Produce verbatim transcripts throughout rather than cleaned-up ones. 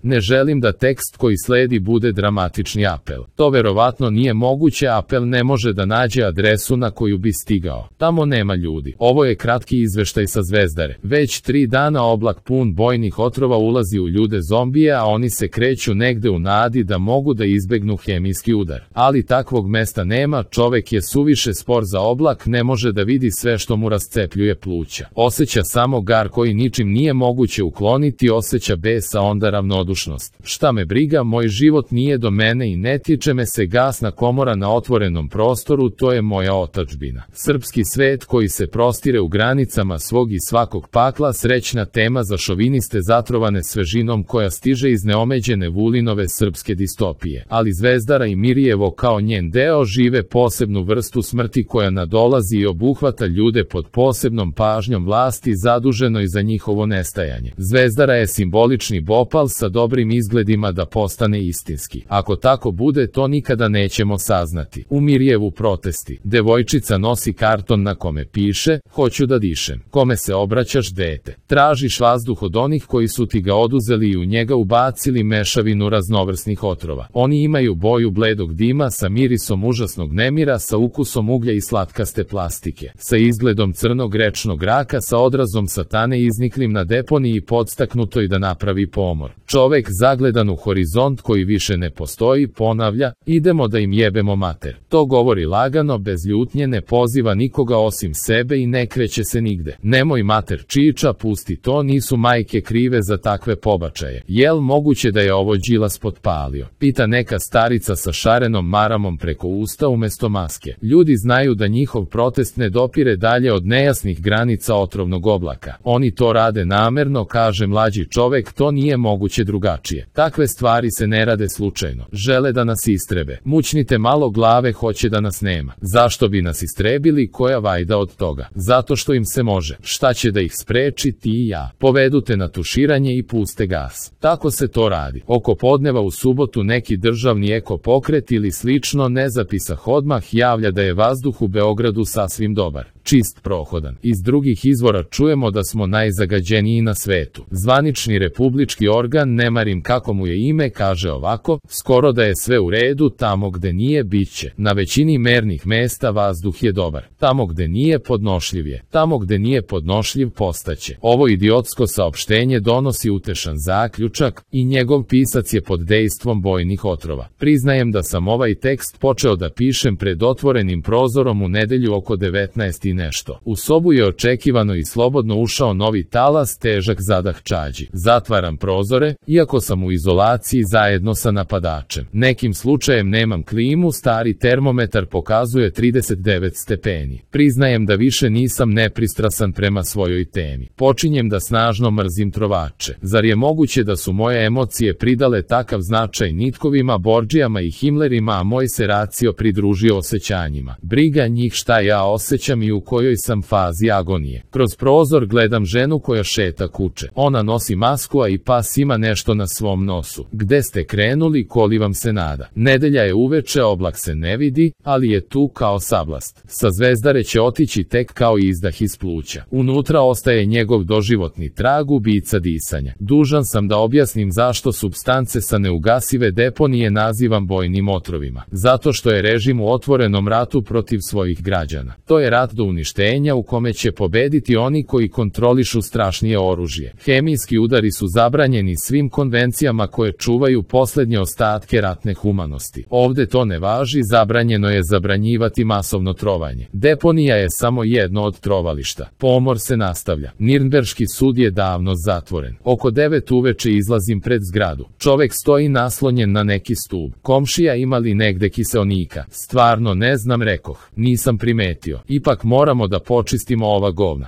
Ne želim da tekst koji sledi bude dramatični apel. To verovatno nije moguće, apel ne može da nađe adresu na koju bi stigao. Tamo nema ljudi. Ovo je kratki izveštaj sa Zvezdare. Već tri dana oblak pun bojnih otrova ulazi u ljude zombije, a oni se kreću negde u nadi da mogu da izbegnu hemijski udar. Ali takvog mesta nema, čovek je suviše spor za oblak, ne može da vidi sve što mu rascepljuje pluća. Osjeća samo gar koji ničim nije moguće ukloniti, osjeća bes, a onda ravnodušnost. Šta me briga, moj život nije do mene i ne tiče me se, gasna komora na otvorenom prostoru, to je moja otadžbina. Srpski svet koji se prostire u granicama svog i svakog pakla, srećna tema za šoviniste zatrovane svežinom koja stiže iz neomeđene Vulinove srpske distopije. Ali Zvezdara i Mirjevo kao njen deo žive posebnu vrstu smrti koja nadolazi i obuhvata ljude pod posebnom pažnjom vlasti zaduženoj za njihovo nestajanje. Zvezdara je simbolični bopal sa dobrim izgledima da postane istinski. Ako tako bude, to nikada nećemo saznati. U Mirjevu protesti. Devojčica nosi karton na kome piše: hoću da dišem. Kome se obraćaš, dete? Tražiš vazduh od onih koji su ti ga oduzeli i u njega ubacili mešavinu raznovrsnih otrova. Oni imaju boju bledog dima sa mirisom užasnog nemira, sa ukusom uglja i slatkaste plastike, sa izgledom crnog rečnog raka, sa odrazom satane izniklim na deponiji i podstaknutoj da napravi pomor. Čovek zagledan u horizont koji više ne postoji ponavlja: idemo da im jebemo mater. To govori lagano, bez ljutnje, ne poziva nikoga osim sebe i ne kreće se nigde. Nemoj mater čiča, pusti to, nisu majke krive za takve pobačaje. Jel moguće da je ovo Đilas potpalio? Pita neka starica sa šarenom maramom preko usta umesto maske. Ljudi znaju da njihov protest ne dopire dalje od nejasnih granica otrovnog oblaka. Oni to rade namerno, kaže mlađi čovek, to nije moguće drugačije. Takve stvari se ne rade slučajno. Žele da nas istrebe. Mućnite malo glave, hoće da nas nema. Zašto bi nas istrebili, koja vajda od toga? Zato što im se može. Šta će da ih spreči, ti i ja? Povedu te na tuširanje i puste gas. Tako se to radi. Oko podneva u subotu neki državni eko pokret ili slično ne zapisah odmah javlja da je vazduh u Beogradu sasvim dobar, čist, prohodan. Iz drugih izvora čujemo da smo najzagađeniji na svetu. Zvanični republički organ, ne marim kako mu je ime, kaže ovako: skoro da je sve u redu, tamo gde nije, bit će. Na većini mernih mesta vazduh je dobar. Tamo gde nije, podnošljiv je. Tamo gde nije podnošljiv, postaće. Ovo idiotsko saopštenje donosi utešan zaključak i njegov pisac je pod dejstvom bojnih otrova. Priznajem da sam ovaj tekst počeo da pišem pred otvorenim prozorom u nedelju oko devetnaest i nešto. U sobu je očekivano i slobodno ušao novi talas, težak zadah čađi. Zatvaram prozore, iako sam u izolaciji zajedno sa napadačem. Nekim slučajem nemam klimu, stari termometar pokazuje trideset devet stepeni. Priznajem da više nisam nepristrasan prema svojoj temi. Počinjem da snažno mrzim trovače. Zar je moguće da su moje emocije pridale takav značaj nitkovima, Bordžijama i Himlerima, a moj se racio pridružio osjećanjima? Briga njih šta ja osjećam i u kojoj sam fazi agonije. Kroz prozor gledam ženu koja šeta kuće. Ona nosi masku, a i pas ima nešto na svom nosu. Gde ste krenuli, koli vam se nada? Nedelja je uveče, oblak se ne vidi, ali je tu kao sablast. Sa Zvezdare će otići tek kao izdah iz pluća. Unutra ostaje njegov doživotni trag ubica disanja. Dužan sam da objasnim zašto supstance sa neugasive deponije nazivam bojnim otrovima. Zato što je režim u otvorenom ratu protiv svojih građana. To je rat do uništenja u kome će pobediti oni koji kontrolišu strašnije oružje. Hemijski udari su zabranjeni svim konvencijama koje čuvaju poslednje ostatke ratne humanosti. Ovde to ne važi, zabranjeno je zabranjivati masovno trovanje. Deponija je samo jedno od trovališta. Pomor se nastavlja. Nirnberški sud je davno zatvoren. Oko devet uveče izlazim pred zgradu. Čovek stoji naslonjen na neki stub. Komšija, ima li negde kiseonika? Stvarno ne znam, rekoh. Nisam primetio. Ipak moramo da počistimo ova govna.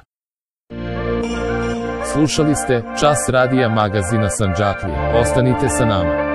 Slušali ste Čas radija magazina Sandžaklije. Ostanite sa nama.